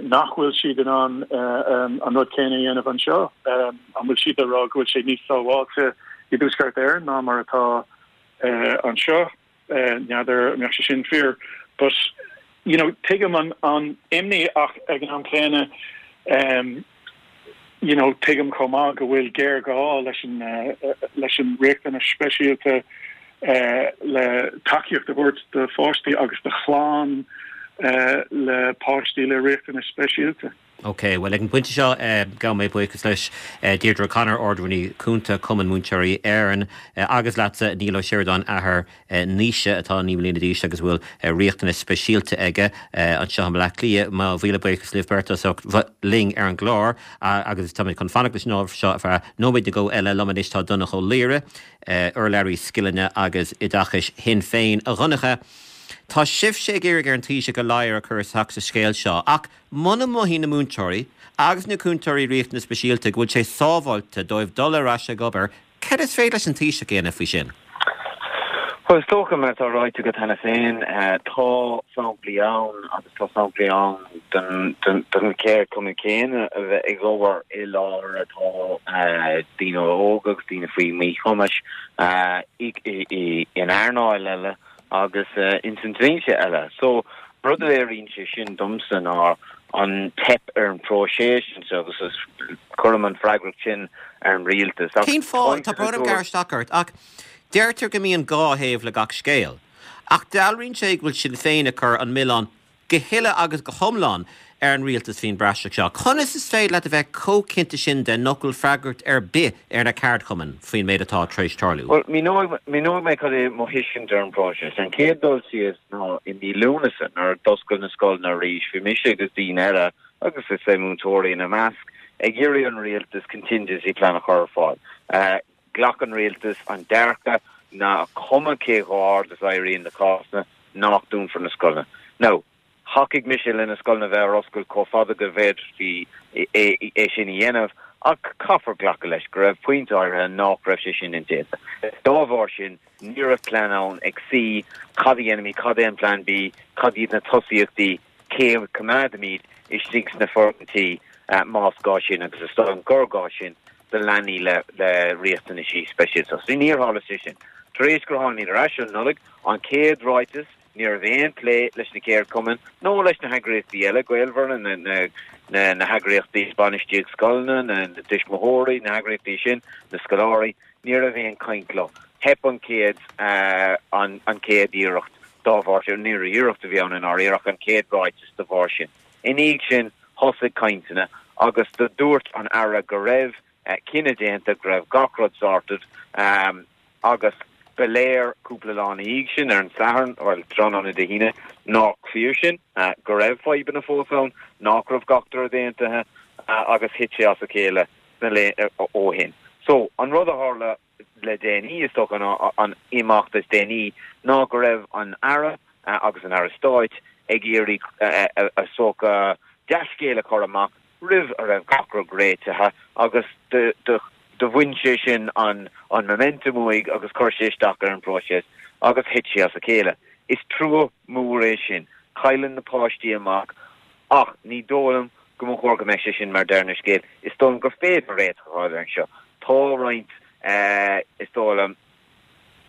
nach bhfuil siad in ann an rud céanna a dhéanamh anseo. An bhfuil siad ag rá go bhfuil sé níos sábháilte i dTuaisceart Éireann ná mar atá anseo? N'fheadar an mbeadh sé sin fíor. But, you know, tuigim an imní ach ag an am céanna, you know, tuigim chomh maith go bhfuil géarghá leis an, leis an riachtanais speisialta le tacaíocht a thabhairt do pháistí agus do chlann le páistí le riachtanais speisialta. Ok, bhuel ag an bpointe seo gabhann mé buíochas leis Deirdre O'Connor, Ard-Rúnaí Cúnta, Cumann Múinteoirí Éireann, agus leatsa Niall Ó Seireadáin, athair Naoise atá 9 mbliana d'aois agus a bhfuil riachtanais speisialta aige, anseo i mBleá Cliath. Mo mhíle buíochas libh beirt as ucht bheith linn ar an gclár agus táimid chun fanacht leis an ábhar seo ar feadh nóiméad nó dhó eile. Liom anois tá Donncha Ó Laoghaire, urlabhraí scileanna agus oideachais Shinn Féin. A Dhonncha, tá sibhse ag iarraidh ar an Taoiseach a ladhar a chur isteach sa scéal seo ach Muna mothaíonn na múinteoirí agus na cúntóirí riachtanas speisialta go bhfuil sé sábháilte dóibh dul ar ais ag obair, cad is féidir leis an Taoiseach a dhéanamh faoi sin? Bhuel, is dócha, mar atá ráite agat cheana féin, tá samplaí ann agus tá samplaí ann den cheardchumann céanna a bheith ag obair i láthair atá daoine óga agus daoine faoi mhíchumais in earnáil eile. agus ins an dlínse eile. So, rud a léiríonn sé sin domsa ná an teip ar an phróiseas anseo agus is cuirim an freagracht sin ar an rialtas. Ach Cén fáth, tá brón orm gearradh isteach ort, ach deirtear go mbíonn dhá thaobh le gach scéal. Ach dealraíonn sé go bhfuil Sinn Féin ag cur an milleán go huile agus go hiomlán ar an rialtas faoin bpraiseach seo. Conas is féidir leat a bheith chomh cinnte sin de nach bhfuil freagracht ar bith ar na ceardchumainn faoin méid atá tar éis tarlú? Bhuel, míneoidh, míneoidh mé cad é mo thuiscint ar an bpróiseas. An chéad dul síos ná i mí Lúnasa, nuair a d'oscail na scoileanna arís, bhí mise agus daoine eile, agus is é múinteoirí ina measc, ag iarraidh an rialtas contingency plan a chur ar fáil. Ghlac an rialtas an dearcadh nach cuma cé chomh hard is a éiríonn na cásanna, nach dúnfar na scoileanna. Now, thacaigh mise le na scoileanna bheith ar oscailt chomh fada go bhféadfaí é sin a dhéanamh, ach caithfear glacadh leis go raibh pointe áirithe nach raibh sé sin indéanta. Dá bharr sin, ní raibh plean ann ag suí, cad a dhéanfaimid, cad é an plean B, cad iad na tosaíochtaí, cé a choimeádfaimid istigh sna foirgintí más gá sin, agus is dóigh liom gur gá sin. do leanaí le riachtanaisí speisialta. So níor tharla sé sin. Tar éis gur tháinig ar ais ón Nollaig, an chéad ráiteas, ní raibh aon plé leis na ceardchumainn nó leis na heagraíochtaí eile gaolmhara, na heagraíochtaí bainistíocht scoileanna, na tuismitheoirí, na heagraíochtaí sin, na scoláirí, ní raibh aon chaint leo. Theip an chéad an chéad iarracht dá bharr sin, ní raibh iarracht a bhí ann i ndáiríre ach an chéad ráiteas dá bharr sin. I ndiaidh sin, thosaigh cainteanna agus do dúirt an Aire go raibh cinneadh déanta, go raibh gach rud sorted agus ba léir cúpla lá ina dhiaidh sin, ar an Satharn, bhuel, tráthnóna Dé hAoine, nach fíor sin, go raibh fadhbanna fós ann, nach raibh gach rud aontaithe agus thit sé as a chéile sna laetha ó shin. So, an rud a tharla le déanaí, is dócha, an imeacht is déanaí ná go raibh an Aire agus an Aire Stáit ag iarraidh is dócha dea-scéal a chur amach roimh a raibh gach rud réitithe agus do bhain sé sin an momentum uaidh agus chuir sé isteach ar an bpróiseas agus thit sé as a chéile. Is trua mór é sin. Cailleann na páistí amach ach ní dóigh liom go mba chóir go mbeadh sé sin mar deireadh na scéal. Is dóigh liom gur féidir réiteach a fháil air seo. Tá roinnt, is dóigh liom,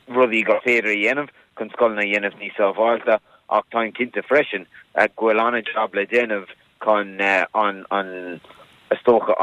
rudaí gur féidir a dhéanamh chun scoileanna a dhéanamh níos sábháilte ach táim cinnte freisin go bhfuil an-jab le déanamh chun an, is dócha,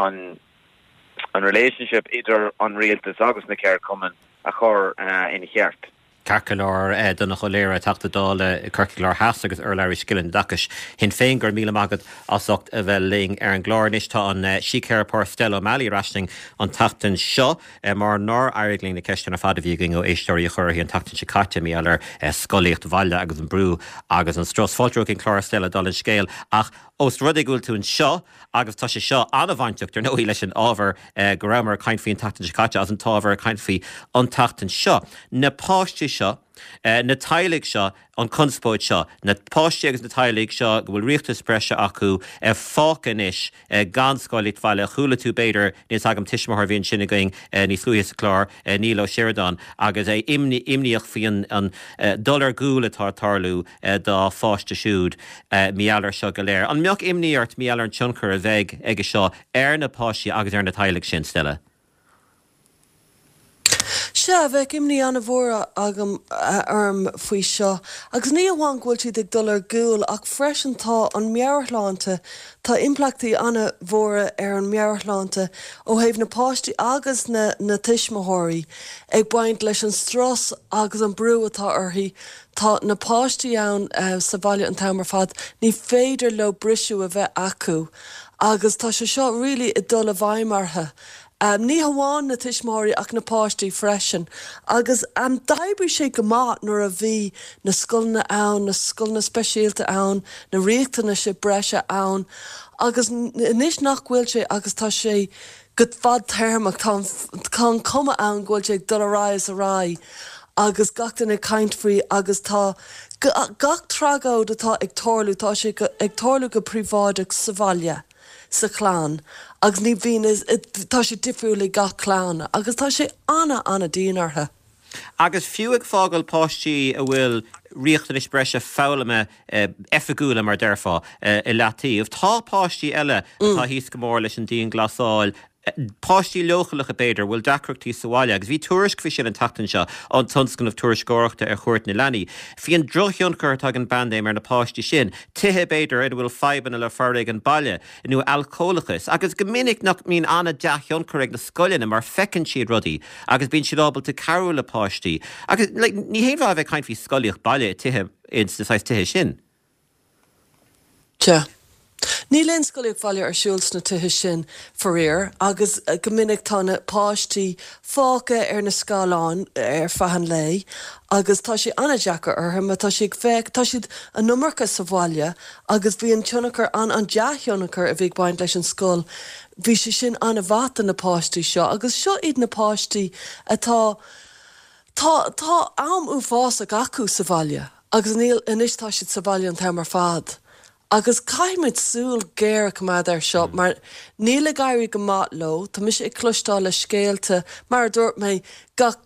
an relationship idir an rialtas agus na ceardchumainn a chur ina cheart. Ceart go leor, Donncha Ó Laoghaire, Teachta Dála Corcaigh Láir Theas agus urlabhraí scileanna oideachais Shinn Féin, go raibh míle maith agat as ucht a bheith linn ar an gclár. Anois tá an síctheiripeoir Stella O'Malley ar ais linn an tseachtain seo mar nár éirigh linn na ceisteanna ar fad a bhí againn ó éisteoirí a chur uirthi an tseachtain seo caite mar gheall ar scolaíocht bhaile agus an brú agus an strus. Fáilte romhat chuig an chlár Stella dála an scéil ach ós rud é go bhfuil tú anseo Agus tá sé seo an-bhainteach, dar ndóigh, leis an ábhar go rabhamar ag caint faoi an tseachtain seo caite agus an t-ábhar ag caint faoi an tseachtain seo. Na páistí seo, na teaghlaigh seo, an chonspóid seo, na páistí agus na teaghlaigh seo go bhfuil riachtanas breise acu, fágtha anois gan scolaíocht bhaile. Chuala tú, b'fhéidir, níl 's agam, tuismitheoir a bhí ansin againn níos luaithe sa chlár, Niall Ó Seireadáin, agus é imníoch faoi an dul ar gcúl atá ag tarlú dá pháiste siúd mar gheall air seo go léir. An mbeadh imní ort mar gheall ar an tionchar a bheidh aige seo ar na páistí agus ar na teaghlaigh sin, Stella? Sea, bheadh imní an-mhór agam orm faoi seo. Agus ní amháin go bhfuil siad ag dul ar gcúl ach freisin tá an meabhairshláinte, tá impleachtaí an-mhóra ar an meabhairshláinte ó thaobh na páistí agus na na tuismitheoirí ag baint leis an strus agus an brú atá orthu. Tá na páistí ann sa bhaile an t-am ar fad, ní féidir leo briseadh a bheith acu agus tá sé seo really ag dul i bhfeidhm orthu. Ní hamháin na tuismitheoirí ach na páistí freisin. Agus d'oibrigh sé go maith nuair a bhí na scoileanna ann, na scoileanna speisialta ann, na riachtanais breise ann. Agus anois nach bhfuil sé agus tá sé go fadtéarmach, tá tá an cuma ann go bhfuil sé ag dul ar aghaidh is ar aghaidh agus gach duine ag caint faoi agus tá gach tragóid atá ag tarlú, tá sé ag tarlú go príobháideach sa bhaile. sa chlann agus ní bhíonn, tá sé difriúil ag gach clann agus tá sé ana-ana-dian orthu. Agus fiú ag fágáil páistí a bhfuil riachtanais breise foghlama oifigiúla, mar déarfá, i leataobh, tá páistí eile atá thíos go mór leis an dianghlasáil, páistí leochaileacha b'fhéidir, a bhfuil deacrachtaí sa bhaile, agus bhí tuairisc faoi sin an tseachtain seo ón Tionscnamh Tuairisceoireachta ar Chuairt na Leanaí, faoi an drochthionchar atá ag an bpaindéim ar na páistí sin, tithe b'fhéidir ina bhfuil fadhbanna le foréigean baile nó alcólachas, agus go minic nach mbíonn an-dea-thionchar ag na scoileanna mar feiceann siad rudaí agus bíonn siad ábalta cabhrú le páistí. Agus like ní haon mhaith a bheith ag caint faoi scolaíocht baile i tithe, ins na saghas tithe sin. Sea. Níl aon scolaíocht bhaile ar siúl sna tithe sin, faraor, agus go minic tá na páistí fágtha ar na scáileáin ar feadh an lae agus tá sé an-deacair orthu mar tá sé ag féach, tá siad an iomarca sa bhaile agus bhí an tionchar, an an dea-thionchar a bhí ag baint leis an scoil, bhí sé sin an-mhaith do na páistí seo agus seo iad na páistí atá, tá, tá am uafásach acu sa bhaile. Agus níl, anois tá siad sa bhaile an t-am ar fad. Agus caithfimid súil ghéar a choimeád air seo mar níl ag éirí go maith leo. Tá mise ag cloisteáil le scéalta, mar a dúirt mé, gach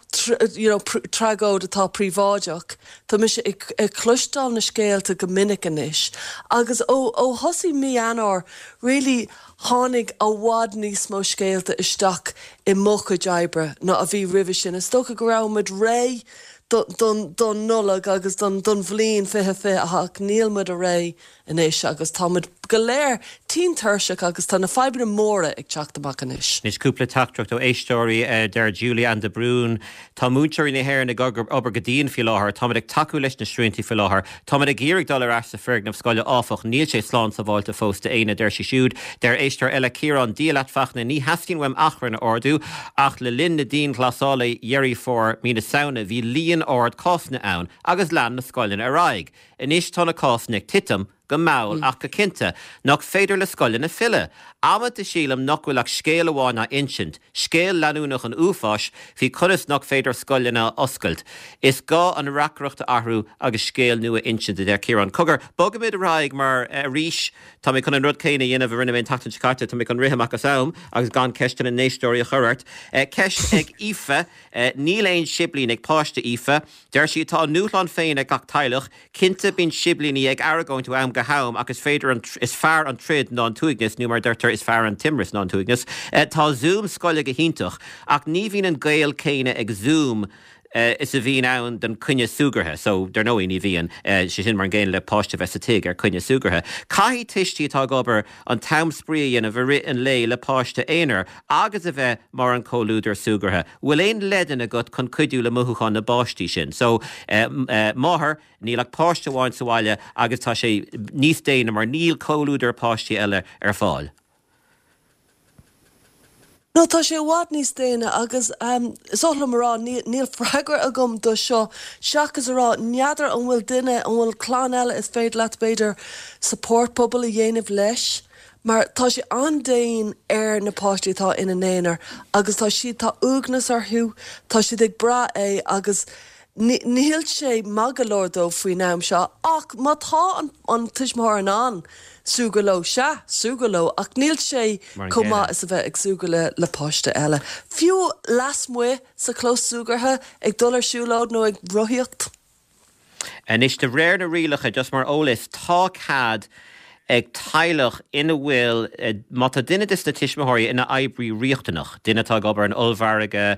you know tragóid atá príobháideach, tá mise ag ag cloisteáil na scéalta go minic anois. Agus ó ó thosaigh mí Eanáir really tháinig i bhfad níos mó scéalta isteach i mo chuid oibre ná a bhí roimhe sin. Is dócha go raibh muid réidh don Nollaig agus don bhliain 2020 ach níl muid réidh anois agus tá muid go léir tinn tuirseach agus tá na fadhbanna móra ag teacht amach anois. Anois cúpla teachtaireacht ó éisteoirí. Deir Julie Ann de Brún, Tá múinteoirí na hÉireann ag obair go dian faoi láthair. Táimid ag tacú leis na srianta faoi láthair. Táimid ag iarraidh dul ar ais sa foirgneamh scoile áfach, níl sé slán sábháilte fós d'éinne, a deir sí siúd. Deir éisteoir eile, Ciarán, Dia leat Fachtna, ní theastaíonn uaim achrann a ardú ach le linn na dianghlasála Dheireadh Fómhair, mí na Samhna, bhí líon ard cásanna ann agus lean na scoileanna ar aghaidh. Anois tá na cásanna ag titim, go mall ach go cinnte. Nach féidir le scoileanna filleadh? Amanta sílim nach bhfuil ach scéal amháin á insint, scéal leanúnach an uafáis faoi conas nach féidir scoileanna a oscailt. Is gá an reacaireacht a athrú agus scéal nua a insint, a deir Ciarán. Cogar, bogfaimid ar aghaidh mar arís tá mé chun an rud céanna a dhéanamh a rinne mé an tseachtain seo caite, tá mé chun rith amach as am agus gan ceisteanna na n-éisteoirí a chur ort. Ceist ag Aoife, Níl aon siblín ag páiste Aoife. Deir sí, Tá a ndúshlán féin ag gach teaghlach. Cinnte, bíonn siblíní ag argóint ó am go ham ach is féidir an, is fearr an troid ná an t-uaigneas, nó mar a deirtear, is fearr an t-imreas ná an t-uaigneas. Tá Zoom scoile go hiontach, ach ní bhíonn an gaol céanna ag Zoom is a bhíonn ann don coinne súgartha. So, dar ndóigh, ní bhíonn. Sé sin mar an gcéanna le páiste a bheith sa tigh ar coinne súgartha. Caithfidh tuistí atá ag obair an t-am spraoi a dhéanamh i rith an lae le páiste aonair agus a bheith mar an comhluadar súgartha. Bhfuil aon leideanna agat chun cuidiú le mothúcháin na bpáistí sin? So, máthair, níl ach páiste amháin sa bhaile agus tá sé níos déine mar níl comhluadar páistí eile ar fáil. No, tá sé i bhfad níos déine agus is oth liom a rá, níl freagra agam do seo seachas a rá, n'fheadar an bhfuil duine, an bhfuil clann eile is féidir leat b'fhéidir support bubble a dhéanamh leis mar tá sé an-dian ar na páistí atá ina n-aonar agus tá siad, tá uaigneas orthu, tá siad ag brath é agus níl sé maith go leor dóibh faoin am seo ach má tá an tuismitheoir in ann súgradh leo, sea, súgradh leo ach níl sé chomh maith is a bheith ag súgradh le le páiste eile. Fiú lasmuigh sa chlós súgartha, ag dul ar siúlóid nó ag rothaíocht. Anois, de réir na rialacha, just mar eolas, tá cead. ag teaghlach ina bhfuil, má tá duine de na tuismitheoirí ina oibrí riachtanach, duine atá ag obair in ollmhargadh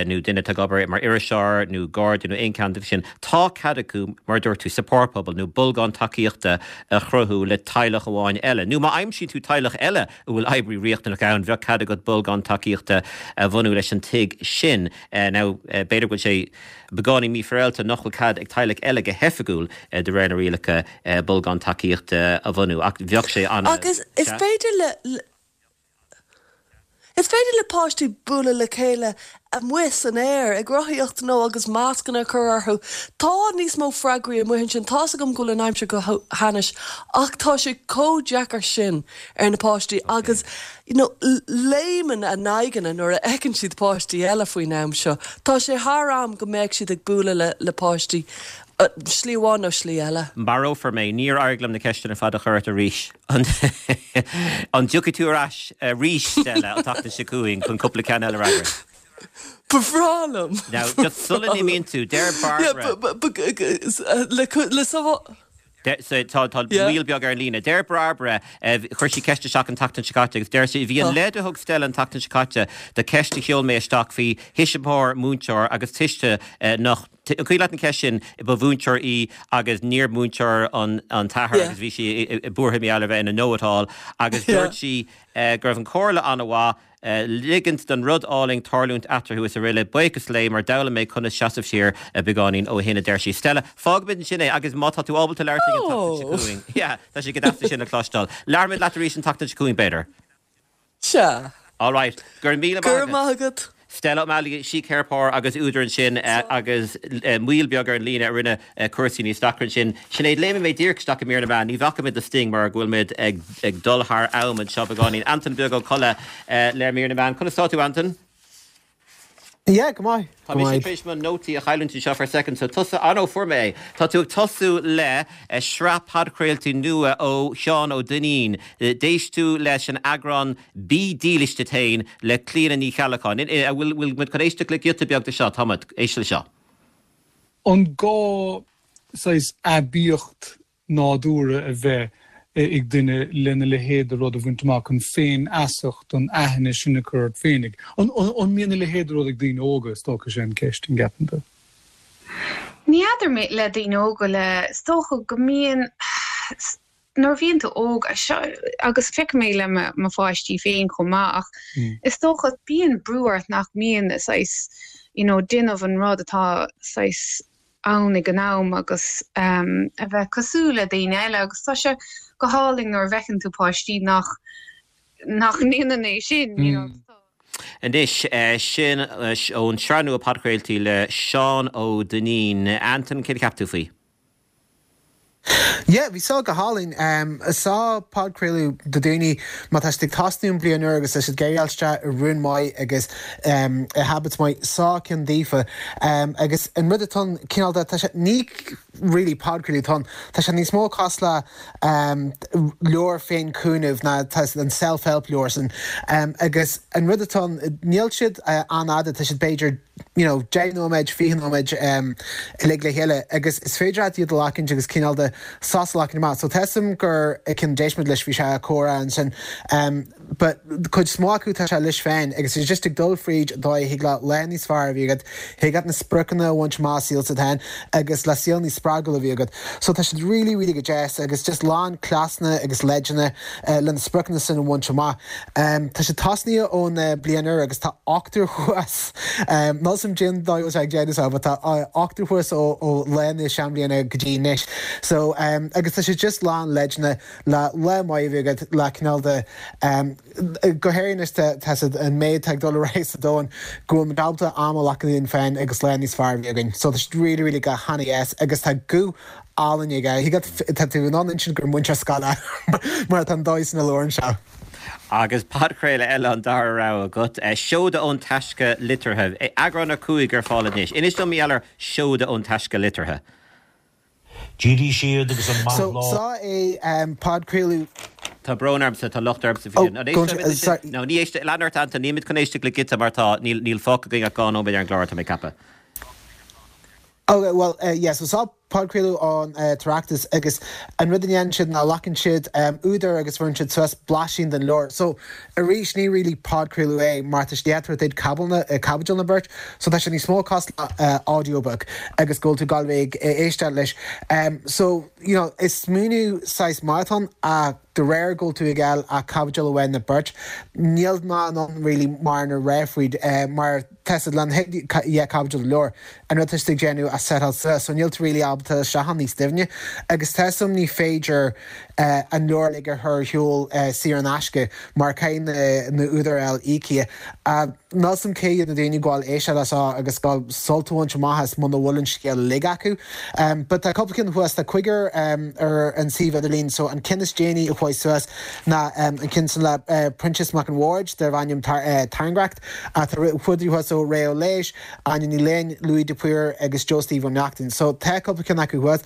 nó duine atá ag obair mar iriseoir nó garda nó aon cheann díobh sin, tá cead acu, mar a dúirt tú, support bubble nó bolgán tacaíochta a chruthú le teaghlach amháin eile. Nó má aimsíonn tú teaghlach eile a bhfuil oibrí riachtanach ann, bheadh cead agat bolgán tacaíochta a bhunú leis an tigh sin. Now, b'fhéidir go bhfuil sé beagáinín mífhéaráilte nach bhfuil cead ag teaghlaigh eile go hoifigiúil de réir na rialacha bolgán tacaíochta a bhunú ach bheadh sé ana Agus is féidir le is féidir le páistí bualadh le chéile amuigh san aer, ag rothaíocht nó agus mascanna a chur orthu. Tá níos mó freagraí amuigh ansin. Tá's agam go bhfuil an aimsir go hainnis ach tá sé chomh deacair sin ar na páistí agus you know léimeann a n-aghaidheanna nuair a fheiceann siad páistí eile faoin am seo. Tá sé thar am go mbeadh siad ag bualadh le le páistí Slí amháin nó slí eile. Marófar mé. Níor éirigh liom na ceisteanna ar fad a chur ort arís. An dtiocfaidh tú ar ais arís, Stella, an tseachtain seo chugainn chun cúpla ceann eile a fhreagairt? Ba bhreá liom. Now, just sula n-imíonn tú, deir Barbara. Le sábháil. Tá moill beag ar an líne. Deir Barbara, chuir sí ceist isteach an tseachtain seo caite agus deir sí, bhí an leid a thug Stella an tseachtain seo caite do cheist a sheol mé isteach faoi thuismitheoir, múinteoir agus tuiste nach, an cuimhin leat an cheist sin, ba mhúinteoir í agus níor mhúinteoir an t-athair agus bhí sí buartha mar gheall ar bheith ina know-it-all agus dúirt sí go raibh an chomhairle an-mhaith. ligint don rud álainn tarlúint eatarthu is araile Buíochas léi mar d'fhoghlaim mé conas seasamh siar beagáinín ó shin, a deir sí. Stella, fágfaimid ansin é agus má tá tú ábalta labhairt linn an tseachtain seo chugainn, yeah, tá sé go deas é sin a chloisteáil. Labhróimid leat arís an tseachtain seo chugainn, b'fhéidir. Sea. All right. Go raibh míle maith agat. Go raibh maith agat. Stella O'Malley, síceiripeoir agus údar ansin agus moill beag ar an líne a rinne cúrsaí níos deacra ansin. Sinéad, léimfidh mé díreach isteach i mír na meán. Ní bhacfaidh muid le Sting mar go bhfuil muid ag dul thar am anseo beagáinín. Antain Beag Ó Colla le mír na meán. Conas tá tú, Antain? Yeah, go maith. Tá mise tar éis mo nótaí a chailliúint anseo for a second, so tusa, ah no, fuair mé é. Tá tú ag tosú le sraith podchraoltaí nua ó Sheán Ó Duinnín. D'éist tú leis an eagrán Bí dílis duit féin le Clíona Ní Cheallacháin. An bhfuil muid chun éisteacht le giota beag de seo? Tá muid. Éist le seo. An gá saghas aibíocht nádúrtha a bheith ag duine lena leithéid de rud a bhaint amach, an féinfheasacht, an aithne sin a chur ort féinig? An mbíonn a leithéid de rud ag daoine óga, is dócha, sé an ceist, an gceapann tú? Ní fheadar mé le daoine óga le, is dócha go mbíonn, nuair a bhíonn tú óg, agus feicim é le mo pháistí féin chomh maith, ach is dócha bíonn brú ort nach mbíonn saghas, you know, déanamh an rud atá saghas ann ag an am agus a bheith cosúil le daoine eile agus tá sé go hálainn nuair a bhfeiceann tú páistí nach nach ndéanann é sin, you know. Anois, sin ón sraith nua podchraoltaí le Seán Ó Duinnín. Antain, céard a cheap tú faoi? Yeah, bhí seo go hálainn. Seo podchraoladh do daoine má tá siad ag tosnú an bliain úr agus tá siad ag iarraidh dul isteach i rún maith agus i habits maith, seo ceann daofa. Agus an rud atá ann, cineál de, tá sé, ní really podchraoladh atá ann, tá sé níos mó cosúil le leabhar féin-chúnamh ná tá an self-help leabhar sin. Agus an rud atá ann, níl siad an-fhada, tá siad b'fhéidir, you know, 10 nóiméad, 20 nóiméad uilig le chéile agus is féidir leat iad a ghlacaint agus cineál de sos a ghlacaint amach. So tá 'fhios a'm gur ceann d'éist muid leis, bhí sé ag comhrá ansin but cuid is mó acu tá sé leis féin agus is just ag dul fríd an dóigh a thig leat lá níos fearr a bhí agat, thig leat na spriocanna a bhaint amach sa saol s'agat féin agus le saol níos spreagúla a bhí agat. So tá siad really, really go deas agus just lán cleasanna agus leideanna le na spriocanna sin a bhaint amach. Tá sé tosnaithe ón bliain úr agus tá ochtar thuas, níl 'fhios a'm cén dóigh a bhfuil sé ag déanamh seo, but tá ochtar thuas ó lá na seanbhliana go dtí anois. So, agus tá sé just lán leideanna le lá maith a bheith agat, le cineál de, go háirithe anois tá tá siad, an méid atá ag dul ar aghaidh sa domhan, go bhfuil muid ábalta am a ghlacadh linn féin agus lá níos fearr a bheith againn. So tá siad really, really go han-dheas agus tá guth álainn aige. Tá tú in ann insint gur múinteoir scoile mar atá an dóigh san a labhrann sé. Agus podchraoladh eile an dara rogha agat, Seoda ón Taisce Liteartha, eagrán 5 ar fáil anois. Inis dom mar gheall ar Seoda ón Taisce Liteartha. D'éirigh siad agus an maith So, seo é podchraoladh. Tá brón ormsa, tá locht ormsa faoi sin. An éistfimid leis sin? No, ní éist, lean ort Antain, nílimid chun éisteacht le giota mar tá, níl, níl fágtha againn ach 2 nóiméad ar an gclár, tá mé ag ceapadh. Ok, well, yeah, so seo. Podchraoladh ón tOireachtas agus an rud a dhéanann siad ná glacann siad údar agus bheireann siad suas blaisín den leabhar. So arís ní really podchraoladh é mar tá siad ag tabhairt duit caibidil nó beirt so tá sé níos mó cosúil le audiobook agus go bhfuil tú ag gabháil a bheith ag éisteacht leis. So you know is smaoineamh saghas maith atá ann ach de réir go bhfuil tú ag fháil ach caibidil amháin nó beirt níl mé in ann really mórán a rá faoi mar Tá siad lena dheich caibidil de leabhar, an rud tá siad ag déanamh a setáil suas, so níl tú really ábalta isteach ann níos doimhne. Agus tá 'fhios a'm ní féidir an leabhar uilig a chur ar shiúl saor in aisce mar caithfidh na údair a fháil íoctha. Níl 'fhios a'm cé hiad na daoine ag gabháil éisteacht leis seo agus gabháil sult a bhaint amach as muna bhfuil an scéal uilig acu. But tá cúpla ceann thuas, tá cúigear ar an suíomh idirlín so an ceann is déanaí a chuaigh suas ná an ceann sin le Proinsias Mac an Bhaird darb ainm Tairngreacht. Tá údair thuas ó Ré Ó Léis, Áine Ní Fhloinn, Louis de Paor agus Joe Steve Ó Neachtain. So tá cúpla ceann acu thuas.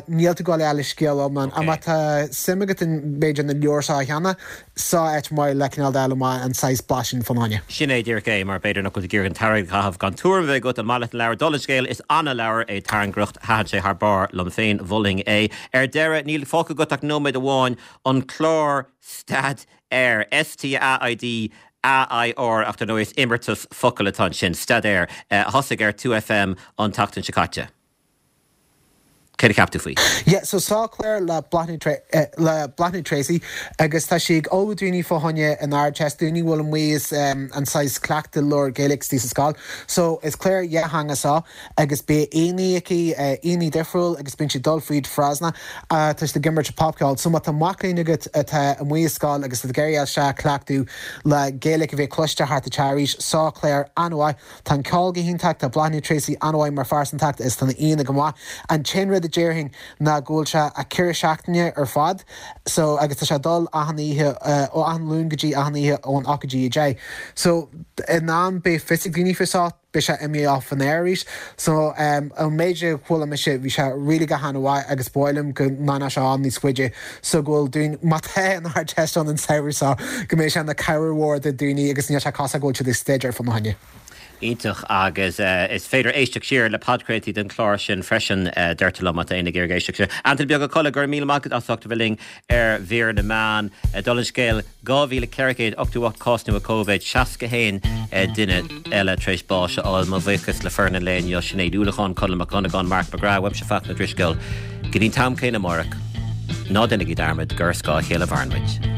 Níl tú ag gabháil a fháil an scéal iomlán. Ach má tá suim agat in b'fhéidir na leabhair seo cheana, seo áit mhaith le cineál d'fháil amach an saghas blaisín fán choinne. Sin é díreach é, mar b'fhéidir nach bhfuil tú ag iarraidh an t-airgead a chaitheamh gan tuairim a bheith agat an maith leat an leabhar. Dála an scéil, is ana-leabhar é Tairngreacht. Thaitin sé thar barr liom féin, mholfainn é. Ar deireadh, níl fágtha agat ach nóiméad amháin, an clár Staid Air, S-T-A-I-D A-I-R, ach dar ndóigh is imeartas focal atá ansin, Staidéar, a thosaigh ar 2FM an tseachtain seo caite. Céard a cheap tú faoi? Yeah, so seo clár le Bláthnaid le Bláthnaid Treacy agus tá sí ag ullmhú daoine fá choinne an Ardteist, daoine a bhfuil amuigh as an saghas cleachtadh labhairt Gaeilge istigh sa scoil. So is clár dhátheangach seo agus beidh aíonna aici, aíonna difriúil agus bíonn siad ag dul fríd frásanna. Tá siad ag imirt popcheol. So má tá mac léinn agat atá amuigh i scoil agus atá ag iarraidh dul isteach cleachtadh le Gaeilge a bheith cloiste thart an teach arís, seo clár an-mhaith. Tá an ceol go hiontach, tá Bláthnaid Treacy an-mhaith mar phearsantacht is tá na aíonna go maith. An t-aon rud a déarfainn ná go bhfuil sé a 4 seachtaine ar fad so agus tá sé ag dul achan oíche ó achan Luan go dtí achan oíche ón 8 go dtí 10. So in am beidh fios ag daoine faoi seo. beidh sé imithe off an air arís. So an méid a chuala mise bhí sé really go han-mhaith agus ba mhaith liom go ndéanfadh sé ann níos faide so go bhfuil daoine, má tá an Ardteist ann an samhradh seo, go mbeidh sé ina cabhair mhór do daoine agus níl sé cosúil go bhfuil siad ag staidéar fá choinne. Iontach agus is féidir éisteacht siar le podchraoltaí den chlár sin freisin, deirtear liom, má tá éinne ag iarraidh éisteacht siar. Antaine Beag Ó Colla, go raibh míle maith agat as ucht a bheith linn ar Mhír na Meán. Dála an scéil, 2,488 cás nua Covid, 61 duine eile tar éis báis a fháil. Mo bhuíochas le foireann an lae inniu, Sinéad Uallacháin, Conall Mac Dhonnagáin, Marc Mac Grath, uaimse Fachtna Ó Drisceoil. Go dtí an t-am céanna amárach, ná déanaigí dearmad gur ar scáth a chéile a mhaireann muid.